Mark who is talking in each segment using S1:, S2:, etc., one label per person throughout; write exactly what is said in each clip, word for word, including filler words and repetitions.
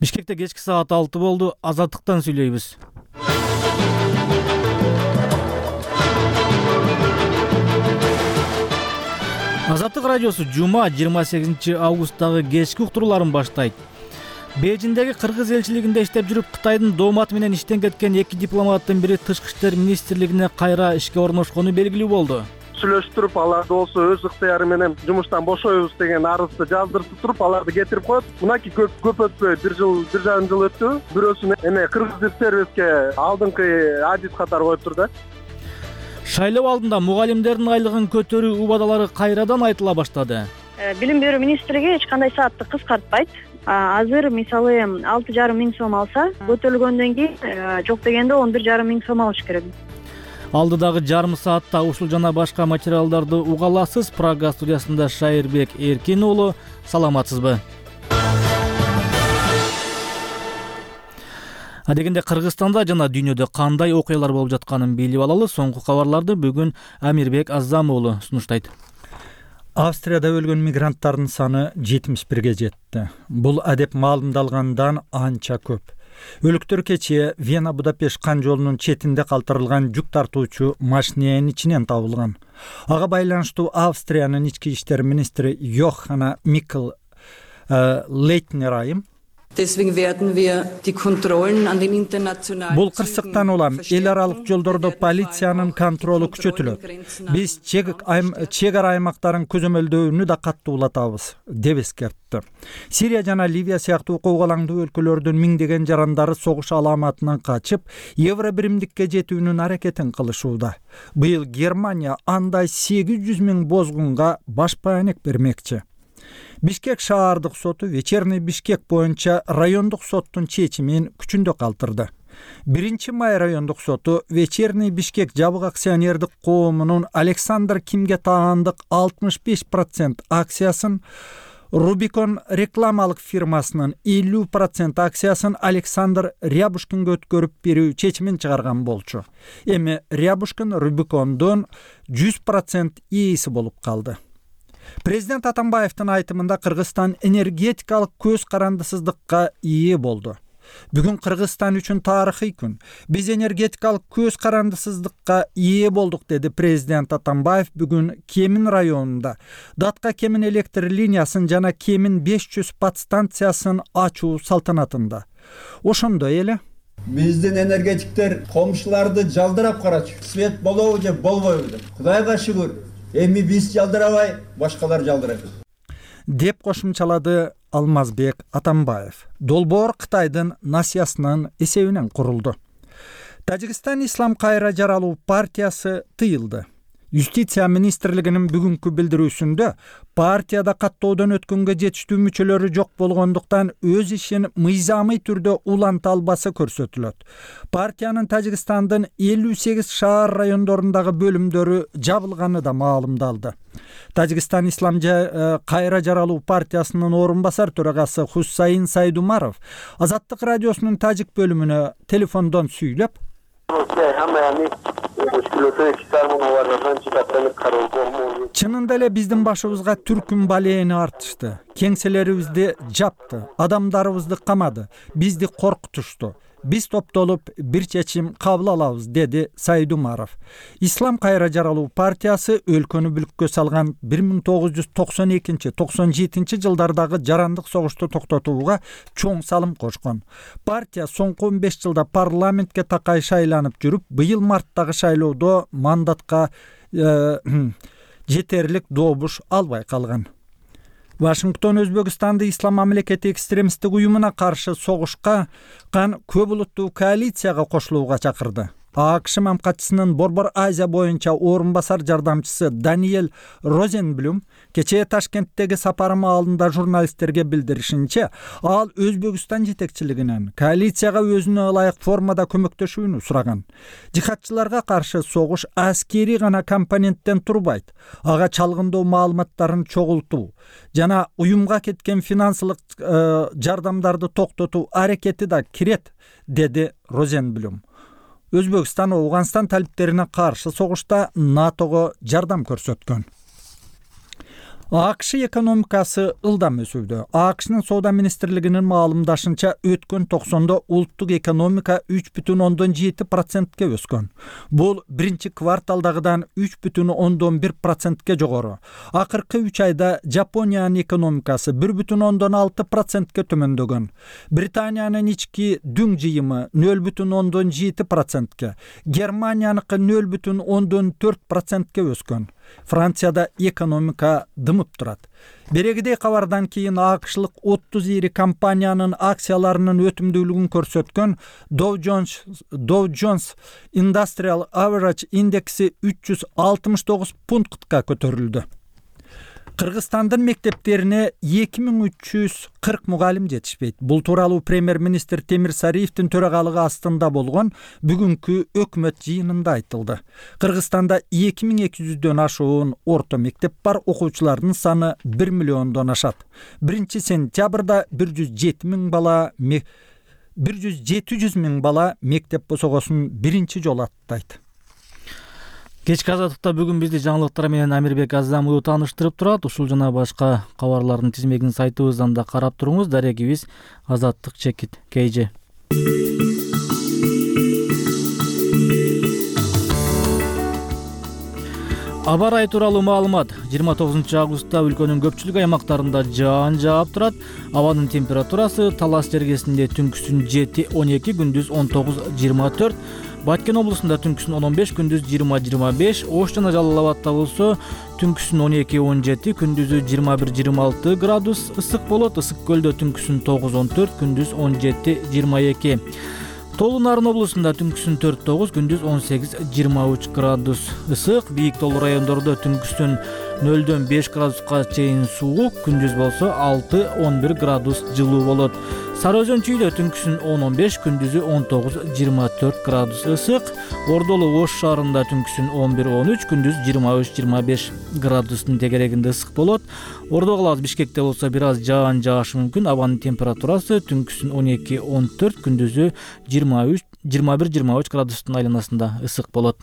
S1: Бишкекте кечки саат алты болду. Азаттыктан сүйлөйбүз. Азаттык радиосу жума жыйырма сегизинчи августтагы кечки уктурууларын баштайт. Бейжиңдеги кыргыз элчилигинде иштеп жүрүп, Кытайдын дооматы менен иштен кеткен эки дипломаттын бири Тышкы иштер министрлигине кайра ишке орношкону белгилүү болду.
S2: Сүйлөшүп туруп, алар болсо өз ыктыяры менен жумуштан бошойбуз деген арызды жаздырып туруп, аларды кетирип коет. Мынакей көп көп өтпөй бир жыл, бир жарым жыл өттү. Бирөөсүн эме кыргыз сервиске алдыңкы адис катары коюптур да.
S1: Шайлоо алдында мугалимдердин айлыгын көтөрүү убадалары кайрадан айтыла баштады.
S3: Билим берүү министрлиги эч кандай саатты кыскартпайт. Азыр мисалы алты жарым миң сом алса, көтөрүлгөндөн кийин жок дегенде он бир жарым миң сом алыш керек.
S1: Алдыдагы жарым саатта ушул жана башка материалдарды уга аласыз. Прага студиясында Шайырбек Эркин уулу. Саламатсызбы? Адегенде Кыргызстанда жана дүйнөдө кандай окуялар болуп жатканын билип алалы. Соңку кабарларды бүгүн Амирбек Аззам уулу сунуштайт.
S4: Австрияда өлгөн мигранттардын саны жетимиш бирге жетти. Бул адеп маалымдалгандан анча көп. Өлүктөр кечээ Вена Будапешт кан жолунун четинде калтырылган жүк тартуучу машиненин ичинен табылган. Ага байланыштуу Австриянын ички иштер министри Йоханна Микл Лейтнер айым бул кырсыктан улам эл аралык жолдордо полициянын контролу күчөтүлөт. Биз чек ара аймактарын көзөмөлдөөнү да каттуулатабыз деп эскертти. Сирия жана Ливия сыяктуу коогалаңдуу өлкөлөрдүн миңдеген жарандары согуш аламатынан качып, евро биримдикке жетүүнүн аракетин кылышууда. Быйыл Германия андай сегиз жүз миң бозгунга баш баанек бермекчи. Бишкек шаардык соту Вечерний Бишкек боюнча райондук соттун чечимин күчүндө калтырды. биринчи май райондук соту Вечерний Бишкек жабык акционердик коомунун Александр Кимге таандык алтымыш беш процент акциясын, Рубикон рекламалык фирмасынын элүү процент акциясын Александр Рябушкинге өткөрүп берүү чечимин чыгарган болчу. Эми Рябушкин Рубикондон жүз процент ээси болуп калды. Президент Атамбаевдин айтымында Кыргызстан энергетикалык көз карандысыздыкка ээ болду. Бүгүн Кыргызстан үчүн тарыхый күн. Биз энергетикалык көз карандысыздыкка ээ болдук, деди президент Атамбаев бүгүн Кемин районунда Датка Кемин электр линиясын жана Кемин беш жүз подстанциясын ачуу салтанатында. Ошондой эле
S5: биздин энергетиктер комшуларды жалдырап карачу. Свет болобу же болбойбу деп. Кудайга шүгүр. Эми биз жалдырабай, башкалар жалдырат.
S4: Деп кошумчалады Алмазбек Атамбаев. Долбоор Кытайдын насыясынын эсебинен курулду. Тажикстан Ислам кайра жаралуу партиясы тыйылды. Юстиция министрлигинин бүгүнкү билдирүүсүндө партияда каттоодон өткөнгө жетиштүү мүчөлөрү жок болгондуктан өз ишин мыйзамый түрдө уланта албасы көрсөтүлөт. Партиянын Тажикстандын элүү сегиз шаар райондорундагы бөлүмдөрү жабылганы да маалымдалды. Тажикстан Ислам кайра жаралуу партиясынын орун басар төрагасы Хусайин Сайдумаров Азаттык радиосунун тажик бөлүмүнө телефондон сүйлөп, чынында эле биздин башыбызга түркүн балээни артышты. Кеңселерибизди жапты, адамдарыбызды камады, бизди коркутушту. Биз топтолуп бир чечим кабыл алабыз, деди Сайдумаров. Ислам кайра жаралуу партиясы өлкөнү бүлүккө салган бир миң тогуз жүз токсон экинчи — токсон жетинчи жылдардагы жарандык согушту токтотууга чоң салым кошкон. Партия соңку он беш жылда парламентке такай шайланып жүрүп, быйыл марттагы шайлоодо мандатка э, жетерлик добуш албай калган. Вашингтон Өзбекстанды ислам мамлекети экстремисттик уюмуна каршы согушка кан көп улуттуу коалицияга кошулууга чакырды. АКШ мамкатчысынын Борбор Азия боюнча орун басар жардамчысы Даниэль Розенблюм кечээ Ташкенттеги сапары маалында журналисттерге билдиришинче, ал Өзбекстан жетекчилигинен коалицияга өзүнө ылайык формада көмөктөшүүнү сураган. Жихадчыларга каршы согуш аскери гана компоненттен турбайт. Ага чалгындоо маалыматтарын чогултуу жана уюмга кеткен финансылык э, жардамдарды токтотуу аракети да кирет, деди Розенблюм. Өзбекстан Ауганстан талиптерине каршы согушта НАТОго жардам көрсөткөн. АКШ экономикасы ылдам өсүүдө. АКШнын соода министрлигинин маалымдашынча өткөн токсондо улуттук экономика үч бүтүн ондон жети процентке өскөн. Бул биринчи кварталдагыдан үч бүтүн ондон бир процентке жогору. Акыркы үч айда Жапониянын экономикасы бир бүтүн ондон алты процентке төмөндөгөн. Британиянын ички дүң жыйымы нөл бүтүн ондон жети процентке, Германияныкы нөл бүтүн ондон төрт процентке өскөн. Францияда экономика дымып турат. Берегидей кабардан кийин АКШлык отуз ири компаниянын акцияларынын өтүмдүүлүгүн көрсөткөн Dow Jones Dow Jones Industrial Average индекси үч жүз алтымыш тогуз пунктка көтөрүлдү. Кыргызстандын мектептерине эки миң үч жүз кырк мугалим жетишпейт. Бул тууралуу премьер-министр Темир Сариевдин төрагалыгы астында болгон бүгүнкү өкмөт жыйынында айтылды. Кыргызстанда эки миң эки жүздөн ашуун орто мектеп бар, окуучулардын саны бир миллиондон ашат. биринчи сентябрда бир жүз жети миң бала бир жүз жети жүз миң бала мектеп босогосун биринчи жолу аттайт.
S1: Кечки азаттыкта бүгүн бизди жаңылыктар менен Амирбек Азамов тааныштырып турат. Ушул жана башка кабарлардын тизмегин сайтыбыздан да карап туруңуз. Дарегибиз Азаттык чекит kg. Аба ырайы тууралуу маалымат. жыйырма тогузунчу августта өлкөнүн көпчүлүк аймактарында жаан жаап турат. Абанын температурасы Талас жергесинде түнкүсүн жети он эки, күндүз он тогуз жыйырма төрт. Баткен облусунда түнкүсүн он он беш, күндүз жыйырма жыйырма беш, Ош жана Жалал Абадта болсо түнкүсүн он эки он жети, күндүзү жыйырма бир жыйырма алты градус ысык болот. Ысык көлдө түнкүсүн тогуз он төрт, күндүз он жети жыйырма эки. Тоолуу Нарын облусунда түнкүсүн төрт тогуз, күндүз он сегиз жыйырма үч градус ысык. Бийик тоолуу райондордо түнкүсүн нөлдөн беш градуска чейин суук, күндүз болсо алты он бир градус жылуу болот. Сары Өзөн чүйдө түнкүсүн он он беш, күндүзү он тогуз жыйырма төрт градус ысык. Ордолу Ош шаарында түнкүсүн он бир он үч, күндүз жыйырма үч жыйырма беш градустун тегерегинде ысык болот. Ордо калабыз Бишкекте болсо бир аз жаан жаашы мүмкүн. Абанын температурасы түнкүсүн он эки он төрт, күндүзү жыйырма үч жыйырма бир жыйырма үч градустун айланасында ысык болот.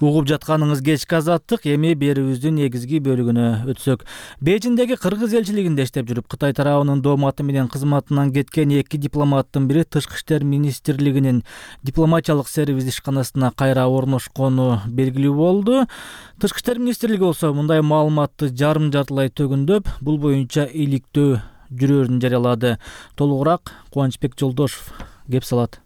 S1: Угуп жатканыңыз кечки азаттык. Эми берүүбүздүн негизги бөлүгүнө өтсөк. Бейжиңдеги кыргыз элчилигинде иштеп жүрүп, Кытай тарабынын дооматы менен кызматынан кеткен эки дипломаттын бири Тышкы иштер министрлигинин дипломатиялык сервис ишканасына кайра орношкону белгилүү болду. Тышкы иштер министрлиги болсо мындай маалыматты жарым жартылай төгүндөп, бул боюнча иликтөө жүрөрүн жарыялады. Толугураак Кубанычбек Жолдошов кеп салат.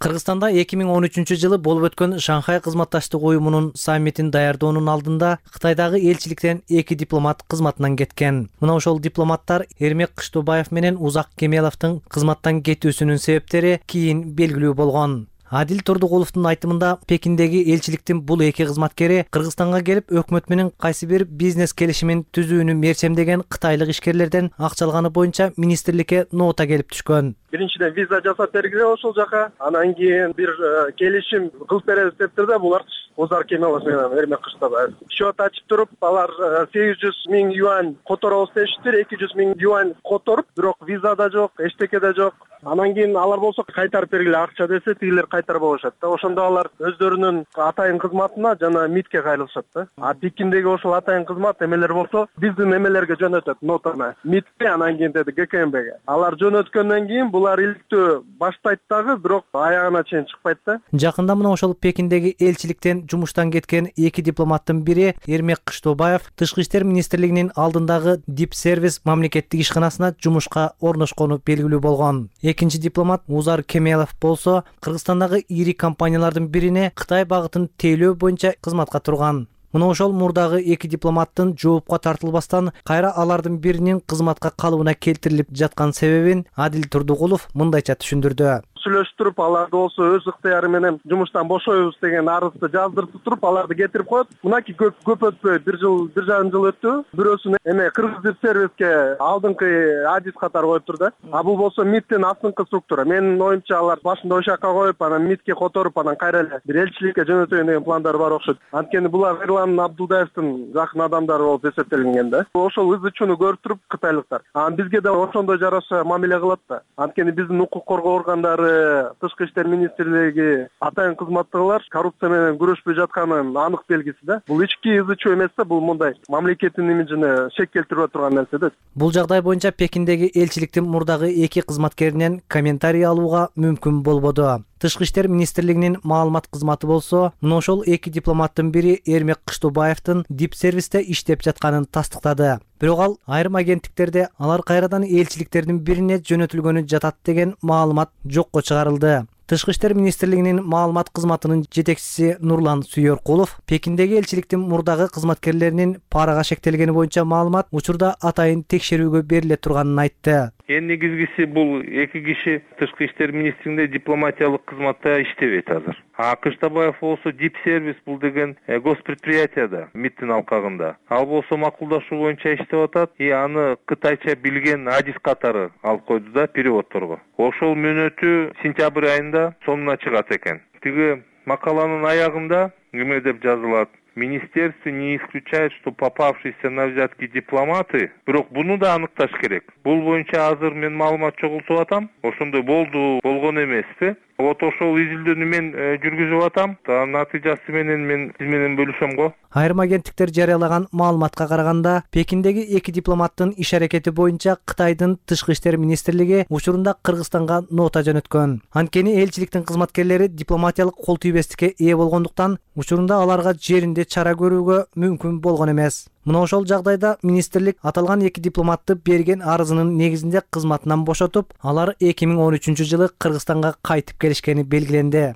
S6: Кыргызстанда эки миң он үчүнчү жылы болуп өткөн Шанхай кызматташтык уюмунун саммитин даярдоонун алдында Кытайдагы элчиликтен эки дипломат кызматынан кеткен. Мына ошол дипломаттар Эрмек Кыштообаев менен Узак Кемеловдун кызматтан кетүүсүнүн себептери кийин белгилүү болгон. Адил Турдугуловдун айтымында Пекиндеги элчиликтин бул эки кызматкери Кыргызстанга келип өкмөт менен кайсы бир бизнес келишимин түзүүнү мерчемдеген кытайлык ишкерлерден акча алганы боюнча министрликке нота келип түшкөн.
S2: Биринчиден виза жасап бергиле ошол жака, анан кийин бир келишим кылып беребиз дептир да, булар Узак Кемелов менен Эрмек Кыштообаев. Счет ачып туруп, алар сегиз жүз миң юань которобуз дешиптир, эки жүз миң юань которуп, бирок виза да жок, эчтеке да жок. Анан кийин алар болсо кайтарып бергиле акча десе, тигилер кайтарып алышат да. Ошондо алар өздөрүнүн атайын кызматына жана МИДке кайрылышат да. А Пекиндеги ошол атайын кызмат эмелер болсо биздин эмелерге жөнөтөт нотаны. МИДке, анан кийин деди ГКМБге. Алар жөнөткөндөн кийин булар иликтөө баштайт дагы, бирок аягына чейин чыкпайт да.
S6: Жакында мына ошол Пекиндеги элчиликтен жумуштан кеткен эки дипломаттын бири Эрмек Кыштообаев Тышкы иштер министрлигинин алдындагы Дип сервис мамлекеттик ишканасына жумушка орношкону белгилүү болгон. Экинчи дипломат Узар Кемелов болсо Кыргызстандагы ири компаниялардын бирине Кытай багытын тейлөө боюнча кызматка турган. Мына ошол мурдагы эки дипломаттын жоопко тартылбастан кайра алардын биринин кызматка калыбына келтирилип жаткан себебин Адил Турдугулов мындайча түшүндүрдү.
S2: Сүйлөштүрүп, аларды болсо өз ыктыяры менен жумуштан бошойбуз деген арызды жаздыртып туруп, аларды кетирип коет. Мынакей көп көп өтпөй бир жыл, бир жарым жыл өттү. Бирөөсүн эме Кыргыз сервиске алдыңкы адис катары коюптур да. А бул болсо МИДтин астыңкы структура. Менин оюмча алар башында ошол жака коюп, анан МИДке которуп, анан кайра эле бир элчиликке жөнөтөйүн деген пландары бар окшойт. Анткени булар Эрлан Абдулдаевдин жакын адамдары болуп эсептелинген да. Ошол ызычууну көрүп туруп кытайлыктар. Анан бизге да ошондой жараша мамиле кылат да. Анткени биздин укук коргоо органдары дагы Тышкы иштер министрлиги атайын кызматтагылар коррупция менен күрөшпөй жатканын анык белгиси да. Бул ички ыз ичүү эмес да, бул мындай мамлекеттин имиджине шек келтирип турган нерсе да.
S6: Бул жагдай боюнча Пекиндеги элчиликтин мурдагы эки кызматкеринен комментарий алууга мүмкүн болбоду. Тышкы иштер министрлигинин маалымат кызматы болсо, мына ошол эки дипломаттын бири Эрмек Кыштообаевдин дип-сервисте иштеп жатканын тастыктады. Бирок ал айрым агенттиктерде алар кайрадан элчиликтердин бирине жөнөтүлгөнү жатат деген маалымат жокко чыгарылды. Тышкы иштер министрлигинин маалымат кызматынын жетекчиси Нурлан Сүйөркулов Пекиндеги элчиликтин мурдагы кызматкерлеринин парага шектелгени боюнча маалымат учурда атайын текшерүүгө бериле турганын айтты.
S7: Эң негизгиси бул эки киши Тышкы иштер министрлигинде дипломатиялык кызматта иштебейт азыр. А Кыштообаев болсо дип-сервис бул деген госпредприятияда МИДтин алкагында. Ал болсо макулдашуу боюнча иштеп атат и аны кытайча билген адис катары алып койду да переводторго. Ошол мөөнөтү сентябрь айында сонуна чыгат экен. Тиги макаланын аягында эме деп жазылат: Министерство не исключает, что попавшиеся на взятки дипломаты, бирок буну да аныкташ керек. Бул боюнча азыр мен маалымат чогултуп атам. Ошондой болду, болгон эмеспи. Вот ошол изилдөөнү мен жүргүзүп атам. Натыйжасы менен мен сиз менен бөлүшөм го.
S6: Айрым агенттиктер жарыялаган маалыматка караганда, Пекиндеги эки дипломаттын иш аракети боюнча Кытайдын Тышкы иштер министрлиги учурунда Кыргызстанга нота жөнөткөн. Анткени элчиликтин кызматкерлери дипломатиялык кол тийбестикке ээ болгондуктан учурунда аларга жеринде чара көрүүгө мүмкүн болгон эмес. Мына ошол жагдайда министрлик аталган эки дипломатты берген арызынын негизинде кызматынан бошотуп, алар эки миң он үчүнчү жылы Кыргызстанга кайтып келишкени белгиленди.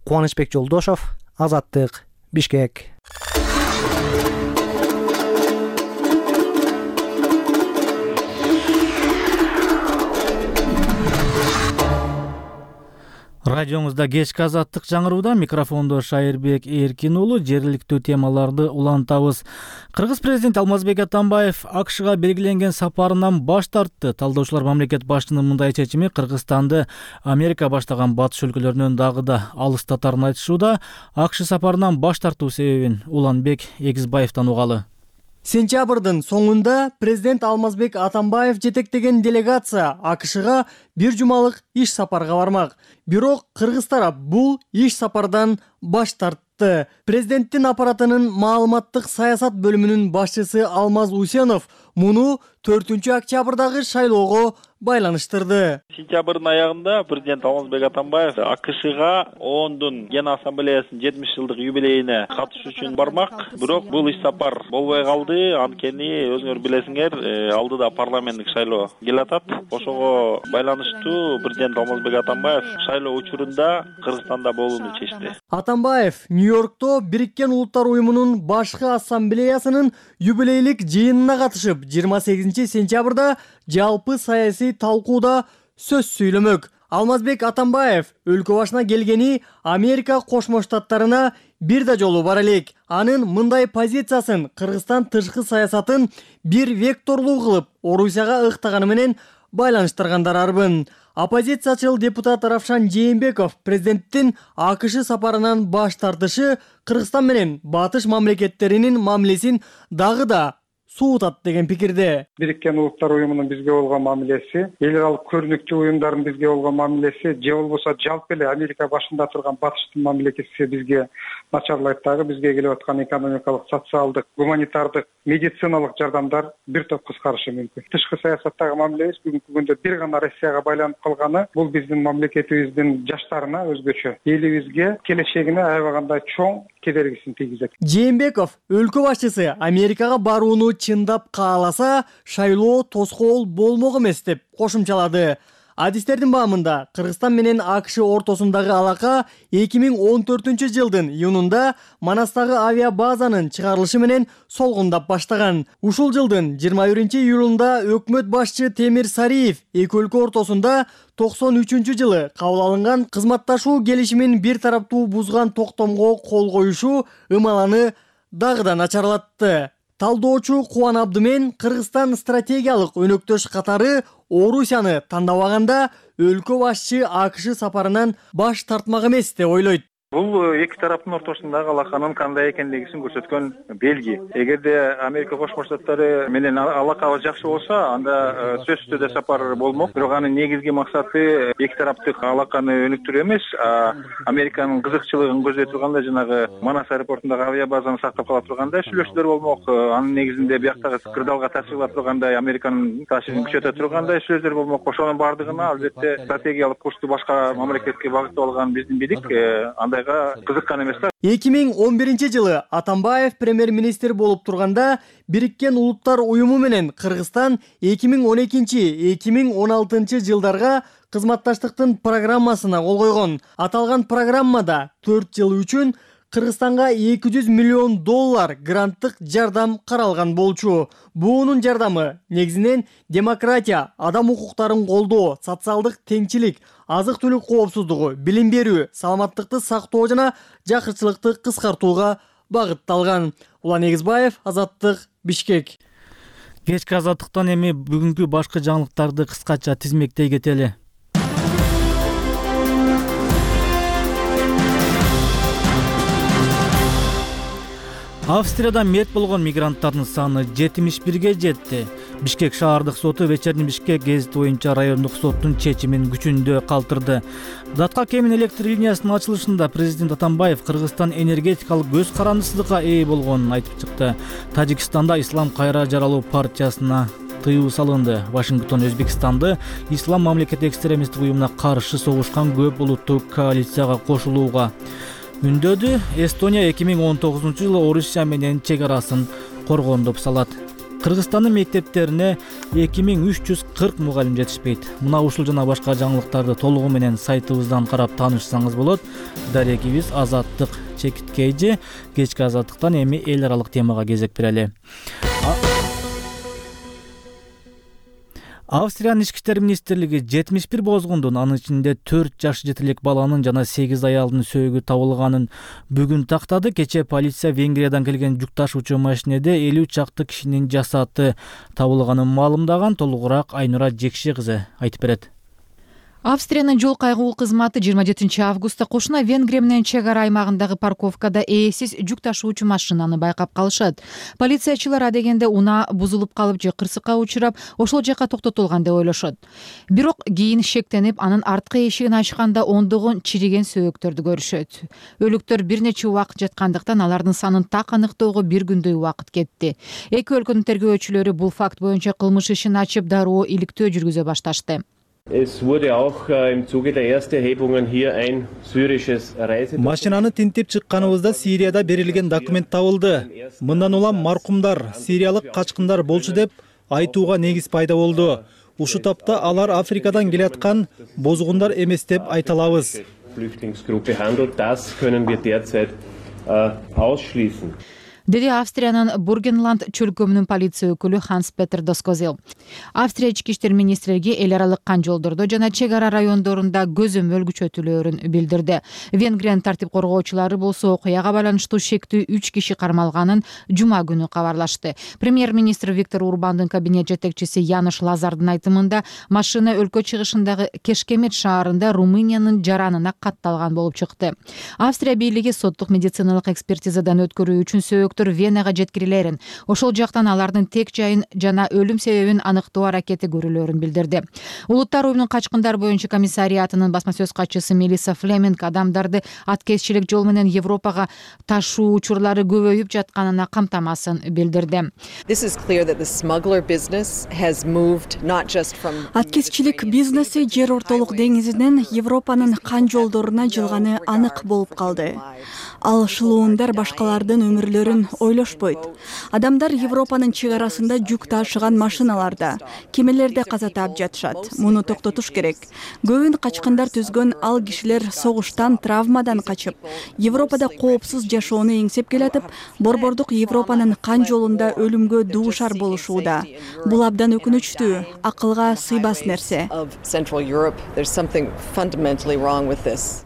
S6: Кубанычбек Жолдошов, Азаттык, Бишкек.
S1: Радиоңузда кечки Азаттык жаңырууда, микрофондо Шайырбек Эркин уулу. Жергиликтүү темаларды улантабыз. Кыргыз президенти Алмазбек Атамбаев АКШга белгиленген сапарынан баш тартты. Талдоочулар мамлекет башчынын мындай чечими Кыргызстанды Америка баштаган батыш өлкөлөрүнөн дагы да алыстатарын айтышууда. АКШ сапарынан баш тартуу себебин Уланбек Эгизбаевден угалы.
S8: Сентябрдын соңунда президент Алмазбек Атамбаев жетектеген делегация АКШга бир жумалык иш сапарга бармак. Бирок кыргыз тарап бул иш сапардан баш тартты. Президенттин аппаратынын маалыматтык саясат бөлүмүнүн башчысы Алмаз Усенов муну төртүнчү октябрдагы шайлоого байланыштырды.
S9: Сентябрдын аягында президент Алмазбек Атамбаев АКШга ООНдун Ген ассамблеясынын жетимиш жылдык юбилейине катышуу үчүн бармак. Бирок бул иш сапар болбой калды. Анткени өзүңөр билесиңер, алдыда парламенттик шайлоо келатат. Ошого байланыштуу президент Алмазбек Атамбаев шайлоо учурунда Кыргызстанда болууну чечти.
S8: Атамбаев Нью-Йоркто Бириккен Улуттар уюмунун башкы ассамблеясынын юбилейлик жыйынына катышып, жыйырма сегизинчи сентябрда жалпы саясий талкууда сөз сүйлөмөк. Алмазбек Атамбаев өлкө башына келгени Америка Кошмо Штаттарына бир да жолу бар элек. Анын мындай позициясын Кыргызстан тышкы саясатын бир векторлуу кылып Орусияга ыктаганы менен байланыштыргандар арбын. Оппозициячыл депутат Равшан Жээнбеков президенттин АКШ сапарынан баш тартышы Кыргызстан менен батыш мамлекеттеринин мамилесин дагы да суутат деген пикирде.
S10: Бириккен Улуттар уюмунун бизге болгон мамилеси, эл аралык көрүнүктүү уюмдардын бизге болгон мамилеси, же болбосо жалпы эле Америка башында турган батыштын мамлекети бизге начарлайт дагы. Бизге келип аткан экономикалык, социалдык, гуманитардык, медициналык жардамдар бир топ кыскарышы мүмкүн. Тышкы саясаттагы мамилебиз бүгүнкү күндө бир гана Россияга байланып калганы бул биздин мамлекетибиздин жаштарына өзгөчө, элибизге, келечегине аябагандай чоң кедергисин тийгизет.
S8: Жээнбеков өлкө башчысы Америкага барууну чындап кааласа, шайлоо тоскоол болмок эмес деп кошумчалады. Адистердин баамында Кыргызстан менен АКШ ортосундагы алака эки миң он төртүнчү жылдын июнунда Манастагы авиабазанын чыгарылышы менен солгундап баштаган. Ушул жылдын жыйырма биринчи июлунда өкмөт башчы Темир Сариев эки өлкө ортосунда токсон үчүнчү жылы кабыл алынган кызматташуу келишимин бир тараптуу бузган токтомго кол коюшу ымаланы дагы да начарлатты. Талдоочу Кубан Абдымен Кыргызстан стратегиялык өнөктөш катары Орусияны тандабаганда өлкө башчы АКШ сапарынан баш тартмак эмес деп ойлойт.
S10: Бул эки тараптын ортосундагы алаканын кандай экендигин көрсөткөн белги. Эгерде Америка Кошмо Штаттары менен алакабыз жакшы болсо, анда сөзсүз түрдө сапар болмок. Бирок анын негизги максаты эки тараптык алаканы өнүктүрүү эмес, Американын кызыкчылыгын көздөй турганда жанагы Манас аэропортундагы авиабазаны сактап кала тургандай сүйлөшүүлөр болмок. Анын негизинде бияктагы кырдаалга таасир кыла тургандай, Американын таасирин күчөтө тургандай сүйлөшүүлөр болмок. Ошонун баардыгына албетте стратегиялык курсту башка мамлекетке багыттап алган биздин бийлик андайга кызыккан эмес да.
S8: эки миң он биринчи жылы Атамбаев премьер-министр болуп турганда Бириккен Улуттар уюму менен Кыргызстан эки миң он экинчи — эки миң он алтынчы жылдарга кызматташтыктын программасына кол койгон. Аталган программада төрт жыл үчүн Кыргызстанга эки жүз миллион доллар гранттык жардам каралган болчу. Буунун жардамы негизинен демократия, адам укуктарын колдоо, социалдык теңчилик, азык-түлүк коопсуздугу, билим берүү, саламаттыкты сактоо жана жакырчылыкты кыскартууга багытталган. Улан Эгизбаев, Азаттык, Бишкек.
S1: Кечки Азаттыктан эми бүгүнкү башкы жаңылыктарды кыскача тизмектей кетели. Австрияда мерт болгон мигранттардын саны жетимиш бирге жетти. Бишкек шаардык соту Вечерний Бишкек гезити боюнча райондук соттун чечимин күчүндө калтырды. Датка Кемин электр линиясынын ачылышында президент Атамбаев Кыргызстан энергетикалык көз карандысыздыкка ээ болгонун айтып чыкты. Тажикстанда Ислам кайра жаралуу партиясына тыюу салынды. Вашингтон Өзбекстанды ислам мамлекети экстремисттик уюмуна каршы согушкан көп улуттуу коалицияга кошулууга үндөдү. Эстония эки миң он тогузунчу жылы Орусия менен чек арасын коргондоп салат. Кыргызстандын мектептерине эки миң үч жүз кырк мугалим жетишпейт. Мына ушул жана башка жаңылыктарды толугу менен сайтыбыздан карап таанышсаңыз болот. Дарегибиз Азаттык чекиткейжи. Кечки Азаттыктан эми эл аралык темага кезек берели. Австриянын ички иштер министрлиги жетимиш бир бозгундун, анын ичинде төрт жаш жетелек баланын жана сегиз аялдын сөөгү табылганын бүгүн тактады. Кечээ полиция Венгриядан келген жүк ташуучу машинеде элүү чакты кишинин жасаты табылганын маалымдаган. Толугураак Айнура Жекши кызы айтып берет.
S11: Австриянын жол кайгуу кызматы жыйырма жетинчи августта кошуна Венгрия менен чек ара аймагындагы парковкада ээсиз жүк ташуучу машинаны байкап калышат. Полициячылар адегенде унаа бузулуп калып же кырсыкка учурап, ошол жака токтотулган деп ойлошот. Бирок кийин шектенип, анын арткы эшигин ачканда ондогон чириген сөөктөрдү көрүшөт. Өлүктөр бир нече убакыт жаткандыктан алардын санын так аныктоого бир күндөй убакыт кетти. Эки өлкөнүн тергөөчүлөрү бул факт боюнча кылмыш ишин ачып, дароо иликтөө жүргүзө башташты.
S4: Машинаны тинтип чыкканыбызда Сирияда берилген документ табылды. Мындан улам маркумдар сириялык качкындар болчу деп айтууга негиз пайда болду. Ушул тапта алар Африкадан келаткан бозгундар эмес деп айта алабыз.
S11: Деди Австриянын Бургенланд чөлкөмүнүн полиция өкүлү Ханс Петер Доскозел. Австрия ички иштер министрлиги эл аралык кан жолдордо жана чек ара райондорунда көзөмөл күчөтүлөөрүн билдирди. Венгриянын тартип коргоочулары болсо окуяга байланыштуу шектүү үч киши кармалганын жума күнү кабарлашты. Премьер-министр Виктор Урбандын кабинет жетекчиси Янош Лазардын айтымында, машина өлкө чыгышындагы Кешкемет шаарында Румыниянын жаранына катталган болуп чыкты. Австрия бийлиги соттук медициналык экспертизадан өткөрүү үчүн сөөк Венага жеткирилерин, ошол жактан алардын тек жайын жана өлүм себебин аныктоо аракети көрүлөрүн билдирди. Улуттар уюмунун качкындар боюнча комиссариатынын басма сөз катчысы Мелисса Флеминг адамдарды аткезчилик жол менен Европага ташуу учурлары көбөйүп жатканына камтамасын билдирди.
S12: Аткезчилик бизнеси жер ортолук деңизинен Европанын кан жолдоруна жылганы анык болуп калды. Ал шылуундар башкалардын өмүрлөрүн ойлошпойт. Адамдар Европанын чек арасында жүк ташыган машиналарда, кемелерде каза таап жатышат. Муну токтотуш керек. Көбүн качкындар түзгөн ал кишилер согуштан, травмадан качып, Европада коопсуз жашоону эңсеп келатып, борбордук Европанын кан жолунда өлүмгө дуушар болушууда. Бул абдан өкүнүчтүү, акылга сыйбас нерсе.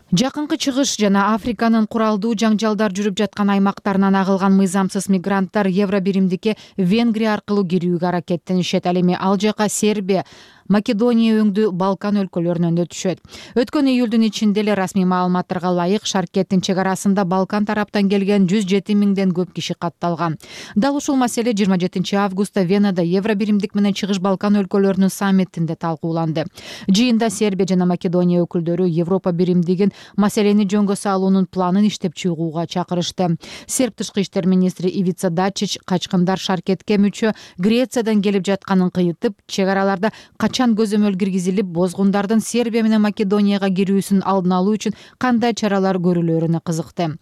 S11: Жакынкы чыгыш жана Африканын куралдуу жаңжалдар жүрүп жаткан аймактарынан агылган мыйзамсыз мигранттар евро биримдикке Венгрия аркылуу кирүүгө аракеттенишет. Ал эми ал жака Сербия, Македония өңдүү Балкан өлкөлөрүнөн өтүшөт. Өткөн июлдун ичинде эле расмий маалыматтарга ылайык Шаркеттин чек арасында Балкан тараптан келген жүз жети миңден көп киши катталган. Дал ушул маселе жыйырма жетинчи августта Венада Евробиримдик менен Чыгыш Балкан өлкөлөрүнүн саммитинде талкууланды. Жыйында Сербия жана Македония өкүлдөрү Европа биримдигин маселени жөнгө салуунун планын иштеп чыгууга чакырышты. Серб тышкы иштер министри Ивица Дачич качкындар Шаркетке мүчө Грециядан келип жатканын кыйытып, чек араларда качан көзөмөл киргизилип, бозгундардын Сербия менен Македонияга кирүүсүн алдын алуу үчүн кандай чаралар көрүлөрүнө кызыкты.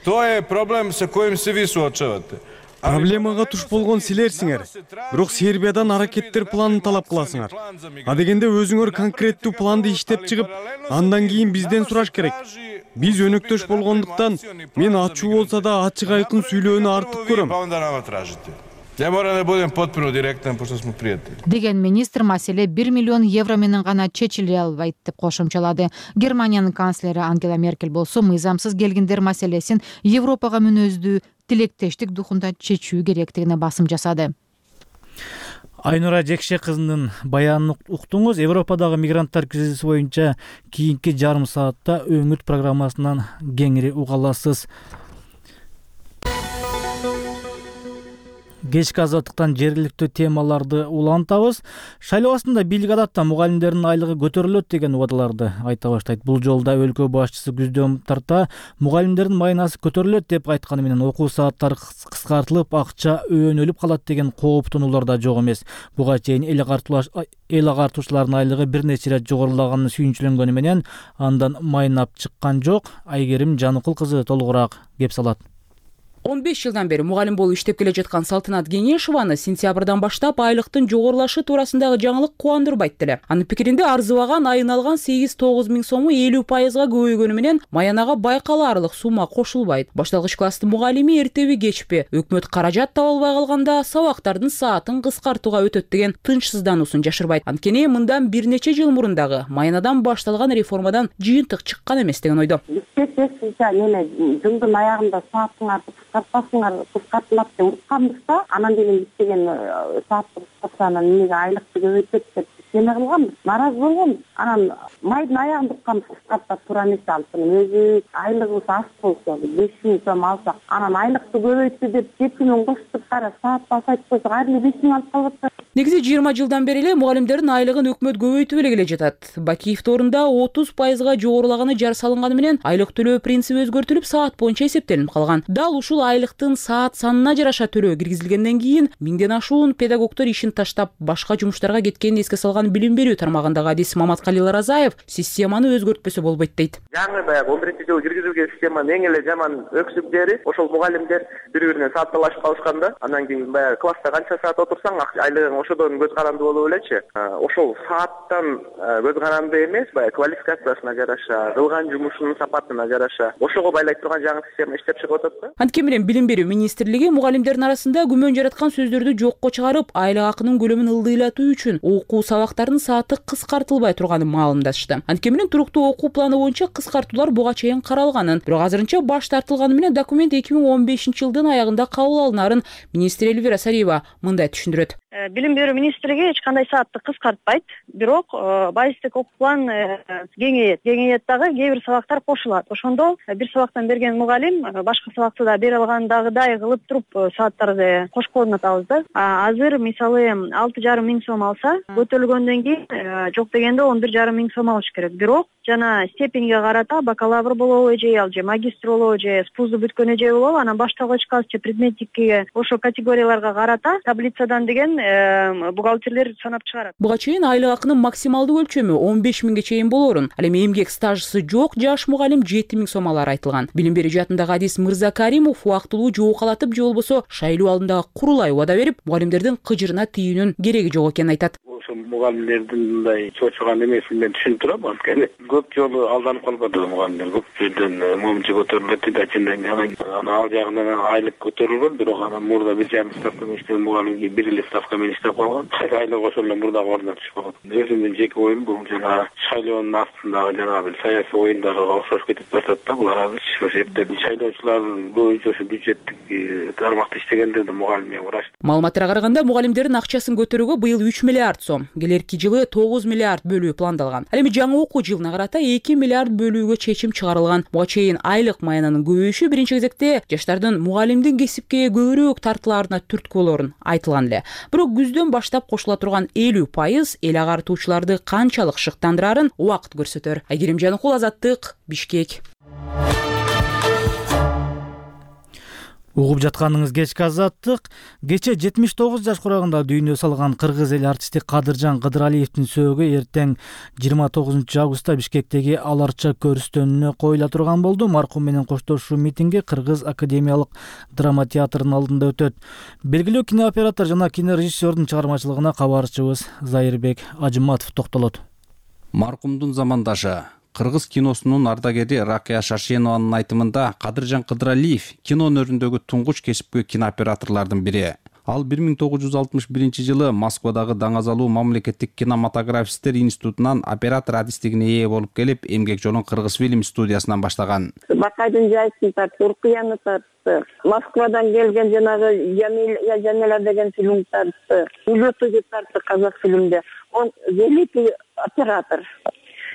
S13: То е проблем со коим се ви суочавате.
S14: Проблемага туш болгон силерсиңер. Бирок Сербиядан аракеттер планын талап кыласыңар. А дегенде өзүңөр конкреттүү планды иштеп чыгып, андан кийин бизден сураш керек. Биз өнөктөш болгондуктан мен ачуу болсо да ачык айкын сүйлөөнү артык көрөм.
S13: Я мора да будем потpuno директен, пошто сме пријатели.
S11: Деген министр маселе бир миллион евро менен гана чечиле албайт деп кошумчалады. Германиянын канцлери Ангела Меркель болсо мыйзамсыз келгиндер маселесин Европага мүнөздүү тилектештик духунда чечүү керектигине басым жасады.
S1: Айнура Жекше кызынын баянын уктуңуз. Европадагы мигранттар кризиси боюнча кийинки жарым саатта өңүт программасынан кеңири уга аласыз. Кечки азаттыктан жергиликтүү темаларды улантабыз. Шайлоо астында бийлик адатта мугалимдердин айлыгы көтөрүлөт деген убадаларды айта баштайт. Бул жолда өлкө башчысы күздөн тарта мугалимдердин майнасы көтөрүлөт деп айтканы менен окуу сааттары кыскартылып, акча өөнөлүп калат деген кооптонуулар да жок эмес. Буга чейин эл агартуучулардын айлыгы бир нече ирет жогорулаганын сүйүнчүлөнгөнү менен андан майнап чыккан жок. Айгерим Жаныкул кызы толугураак кеп салат.
S15: он беш жылдан бери мугалим болуп иштеп келе жаткан Салтанат Кеңешованы сентябрдан баштап айлыктын жогорулашы туурасындагы жаңылык кубандырбайт деле. Анын пикиринде арзыбаган айын алган сегиз тогуз миң сому элүү пайызга көбөйгөнү менен маянага байкалаарлык сумма кошулбайт. Башталгыч класстын мугалими эртеби кечпи өкмөт каражат таба албай калганда сабактардын саатын кыскартууга өтөт деген тынчсыздануусун жашырбайт. Анткени мындан бир нече жыл мурун дагы майнадан башталган реформадан жыйынтык чыккан эмес деген ойдо.
S16: Жылдын аягында сааттын кыскартпасыңар, кыскартылат деп укканбыз да, анан кийин деген сааттык кыскартсанан эмнеге айлыкты көбөйтөт деп эме кылганбыз, нааразы болгонбуз. Анан майдын аягында укканбыз, кыскартпак туура эмес алыптын. Өзү айлыгыбыз аз болсо, беш миң сом алсак, анан айлыкты көбөйтү деп жети миң коштук, кара саат басайт койсок, ар эле беш миң алып калып.
S15: Негизи жыйырма жылдан бери эле мугалимдердин айлыгын өкмөт көбөйтүп эле келе жатат. Бакиев орунда отуз пайызга жогорулаганы жар салынганы менен айлык төлөө принциби өзгөртүлүп, саат боюнча эсептелип калган. Дал ушул айлыктын саат санына жараша төлөө киргизилгенден кийин миңден ашуун педагогдор ишин таштап башка жумуштарга кеткенин эске салган билим берүү тармагындагы адис Маматкалил Разаев системаны өзгөртпөсө болбойт дейт.
S2: Жаңы баягы он биринчи жылы киргизилген системанын эң эле жаман өксүк жери ошол мугалимдер бири-биринен саатталашып калышканда, андан кийин баягы класста канча саат отурсаң айлыгың ошодон көз каранды болуп элечи. Ошол сааттан көз каранды эмес, баягы квалификациясына жараша, кылган жумушунун сапатына жараша ошого байлай турган жаңы система иштеп чыгып атат да.
S15: Анткени менен билим берүү министрлиги мугалимдердин арасында күмөн жараткан сөздөрдү жокко чыгарып, айлык акынын көлөмүн ылдыйлатуу үчүн окуу сабактарынын сааты кыскартылбай турганын маалымдашты. Анткени менен туруктуу окуу планы боюнча кыскартуулар буга чейин каралганын, бирок азырынча баш тартылганы менен документ эки миң он бешинчи жылдын аягында кабыл алынаарын министр Эльвира Сариева мындай түшүндүрөт.
S3: Билим берүү министрлиги эч кандай саатты кыскартпайт, бирок базистик окуу план кеңейет. Кеңейет дагы кээ бир сабактар кошулат. Ошондо бир сабактан берген мугалим башка сабакты да бере алгандагыдай кылып туруп сааттарды кошконун атабыз да. Азыр мисалы алты жарым миң сом алса, көтөрүлгөндөн кийин жок дегенде он бир жарым миң сом алыш керек. Бирок жана степенге карата бакалавр болобу же ал же магистр болобу же спузду бүткөн эже болобу, анан башталгыч класс же предметникке ошо категорияларга карата таблицадан деген бухгалтерлер санап чыгарат.
S15: Буга чейин айлык акынын максималдуу өлчөмү он беш миңге чейин болорун, ал эми эмгек стажысы жок жаш мугалим жети миң сом алары айтылган. Билим берүү жаатындагы адис Мырзакаримов убактылуу жоокалатып же болбосо шайлоо алдындагы курулай убада берип, мугалимдердин кыжырына тийүүнүн кереги жок экенин айтат.
S17: Мугалимдердин мындай чочуган эмесин мен түшүнүп турам, анткени көп жолу алданып калбады мугалимдер. Көп жерден момчу көтөрүлөт дейт, ачындан анан ал жагынан айлык көтөрүлгөн, бирок анан мурда бир жарым ставка менен иштеген мугалимге бир эле ставка менен иштеп калган. Айлык ошол эле мурдагы ордуна түшүп калган. Өзүмдүн жеке оюм бул жана шайлоонун астындагы жанагы бир саясий оюндарга окшош кетип жатат да. Булар азыр ошо жерде шайлоочулар боюнча ошо бюджеттик тармакта иштегендерди мугалим менен урашты.
S15: Маалыматтарга караганда мугалимдердин акчасын көтөрүүгө быйыл үч миллиард сом, сом, келерки жылы тогуз миллиард бөлүү пландалган. Ал эми жаңы окуу жылына карата эки миллиард бөлүүгө чечим чыгарылган. Буга чейин айлык маянанын көбөйүшү биринчи кезекте жаштардын мугалимдин кесипке көбүрөөк тартылаарына түрткү болорун айтылган эле. Бирок күздөн баштап кошула турган элүү пайыз эл агартуучуларды канчалык шыктандырарын убакыт көрсөтөр. Айгерим Жаныкул, Азаттык, Бишкек.
S1: Угуп жатканыңыз кечки Азаттык. Кече жетимиш тогуз жаш курагында дүйнө салган кыргыз эл артисти Кадыржан Кыдыралиевдин сөөгү эртең жыйырма тогузунчу августта Бишкектеги Аларча көрүстөнүнө коюла турган болду. Маркум менен коштошуу митинги Кыргыз академиялык драма театрынын алдында өтөт. Белгилүү кинооператор жана кинорежиссердун чыгармачылыгына кабарчыбыз Зайырбек Ажыматов токтолот.
S18: Маркумдун замандашы кыргыз киносунун ардагери Ракия Шаршенованын айтымында Кадыржан Кыдыралиев кино өнөрүндөгү туңгуч кесипкөй кинооператорлордун бири. Ал бир миң тогуз жүз алтымыш биринчи жылы Москвадагы Даңазалуу мамлекеттик кинематографисттер институтунан оператор адистигине ээ болуп келип, эмгек жолун Кыргыз фильм студиясынан баштаган.
S16: Бакайдын жайсын тартты, Уркуяны тартты, Москвадан келген жанагы Жамиля Жамиля деген фильм тартты, Улютуги тартты казак фильмде. Он великий оператор.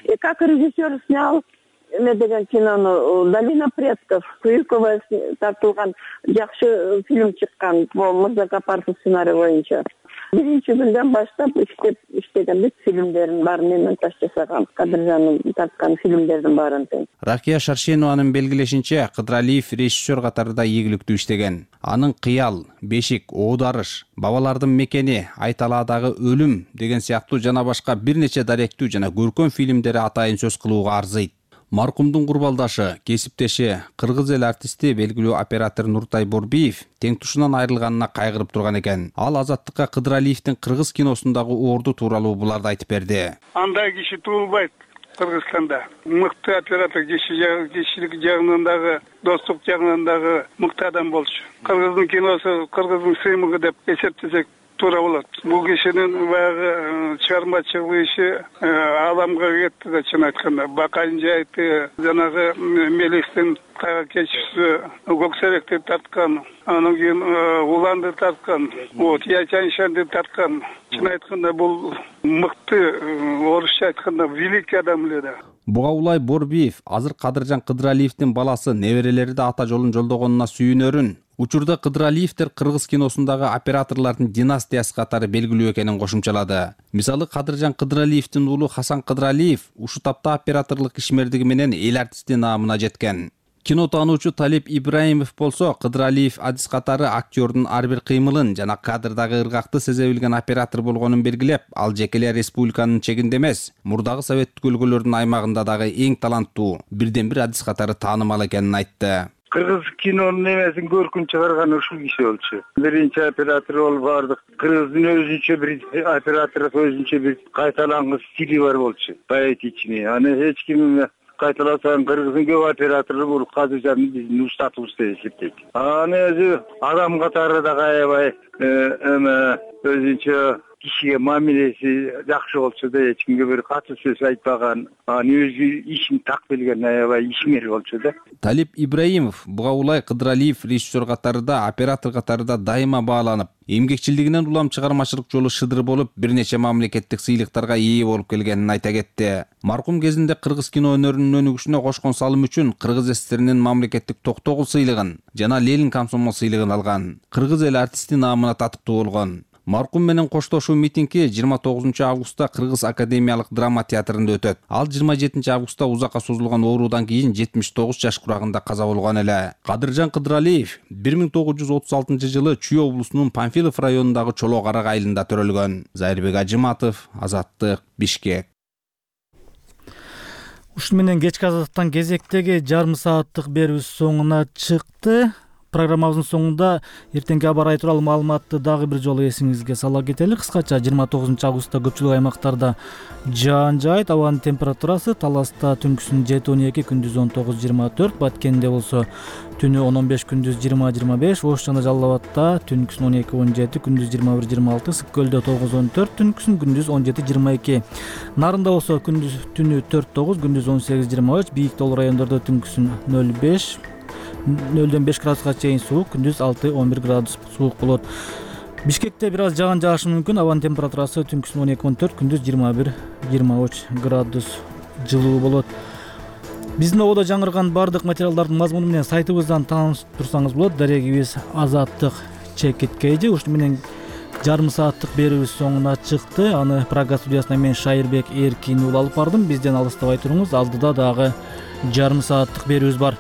S16: И как режиссер снял деген кинону «Долина предков», Куюкова тартылган жакшы фильм чыккан, Мырзакапаров сценарий боюнча. Биринчи күндөн баштап иштеп иштеген бүт фильмдердин баарын мен монтаж жасагам. Кадыржандын тарткан фильмдердин баарын.
S18: Ракия Шаршенованын белгилешинче, Кыдыралиев режиссер катарында ийгиликтүү иштеген. Анын Кыял, Бешик, Оодарыш, Бабалардын мекени, Айталаадагы өлүм деген сыяктуу жана башка бир нече даректүү жана көркөм фильмдери атайын сөз кылууга арзыйт. Маркумдун курбалдашы, кесиптеши, кыргыз эл артисти белгилүү оператор Нуртай Борбиев теңтушунан айрылганына кайгырып турган экен. Ал Азаттыкка Кыдыралиевдин кыргыз киносундагы орду тууралуу буларды айтып берди.
S19: Андай киши туулбайт Кыргызстанда. Мыкты оператор кишилик жагынан дагы, достук жагынан дагы мыкты адам болчу. Кыргыздын киносу, кыргыздын сыймыгы деп эсептесек туура болот. Бул кишинин баягы чыгармачылык иши аламга кетти да, чын айтканда. Бакайдын жайыты, жанагы Мелистин кайга кечүүсү, Көксеректи тарткан, анан кийин Уланды тарткан, вот Ячаншанды тарткан. Чын айтканда бул мыкты, орусча айтканда великий адам эле да.
S18: Буга улай Борбиев азыр Кадыржан Кыдыралиевдин баласы неберелери да ата жолун жолдогонуна сүйүнөрүн, учурда Кыдыралиевдер кыргыз киносундагы операторлордун династиясы катары белгилүү экенин кошумчалады. Мисалы, Кадыржан Кыдыралиевдин уулу Хасан Кыдыралиев ушу тапта операторлук ишмердиги менен эл артисти наамына жеткен. Кино таануучу Талип Ибраимов болсо, Кыдыралиев адис катары актёрдун ар бир кыймылын жана кадрдагы ыргакты сезе билген оператор болгонун белгилеп, ал жеке эле республиканын чегинде эмес, мурдагы советтик өлкөлөрдүн аймагында дагы эң таланттуу, бирден бир адис катары таанымал экенин айтты.
S19: Кыргыз кинонун эмесин көркүн чыгарган ушул киши болчу. Биринчи оператор болуп бардык. Кыргыздын өзүнчө бир оператор, өзүнчө бир кайталангыс стили бар болчу, поэтичный. Аны эч ким кайталасаң кыргыздын көп оператору бул Кадыржан биздин устатыбыз деп эсептейт. Аны өзү адам катары да аябай эме өзүнчө кишиге мамилеси жакшы болчу да, эч кимге бир катуу сөз айтпаган, аны өзү ишин так билген аябай ишмер болчу да.
S18: Талип Ибраимов буга улай Кыдыралиев режиссер катарында, оператор катарында дайыма бааланып, эмгекчилигинен улам чыгармачылык жолу шыдыр болуп, бир нече мамлекеттик сыйлыктарга ээ болуп келгенин айта кетти. Маркум кезинде кыргыз кино өнөрүнүн өнүгүшүнө кошкон салым үчүн Кыргыз эстеринин мамлекеттик токтогул сыйлыгын жана Ленин комсомол сыйлыгын алган. Кыргыз эл артисти наамына татыктуу болгон. Маркум менен коштошуу митинги жыйырма тогузунчу августта Кыргыз академиялык драма театрында өтөт. Ал жыйырма жетинчи августта узакка созулган оорудан кийин жетимиш тогуз жаш курагында каза болгон эле. Кадыржан Кыдыралиев бир миң тогуз жүз отуз алтынчы жылы Чүй облусунун Панфилов районундагы Чолок Арак айылында төрөлгөн. Зайырбек Ажыматов, Азаттык, Бишкек.
S1: Ушун менен кечки Азаттыктан кезектеги жарым сааттык берүүбүз соңуна чыкты. Программабыздын соңунда эртеңки аба ырайы тууралуу маалыматты дагы бир жолу эсиңизге сала кетели. Кыскача жыйырма тогузунчу августта көпчүлүк аймактарда жаан жаайт. Абанын температурасы Таласта түнкүсүн жети он эки, күндүз он тогуз жыйырма төрт, Баткенде болсо түнү он он беш, күндүз жыйырма жыйырма беш, Ош жана Жалал Абадта түнкүсүн он эки он жети, күндүз жыйырма бир жыйырма алты, Сык Көлдө тогуз он төрт, түнкүсүн күндүз он жети жыйырма эки. Нарында болсо күндүз түнү төрт тогуз, күндүз он сегиз жыйырма үч, Бийик Тоол райондордо түнкүсүн нөл беш нөлдөн беш градуска чейин суук, күндүз алты он бир градус суук болот. Бишкекте бир аз жаан жаашы мүмкүн. Абанын температурасы түнкүсүн он эки он төрт, күндүз жыйырма бир жыйырма үч градус жылуу болот. Биздин ободо жаңырган бардык материалдардын мазмуну менен сайтыбыздан таанышып турсаңыз болот. Дарегибиз Азаттык чекит кейжи. Ушуну менен жарым сааттык берүүбүз соңуна чыкты. Аны Прага студиясына мен Шайырбек Эркин уулу алып бардым. Бизден алыстабай туруңуз. Алдыда дагы жарым сааттык берүүбүз бар.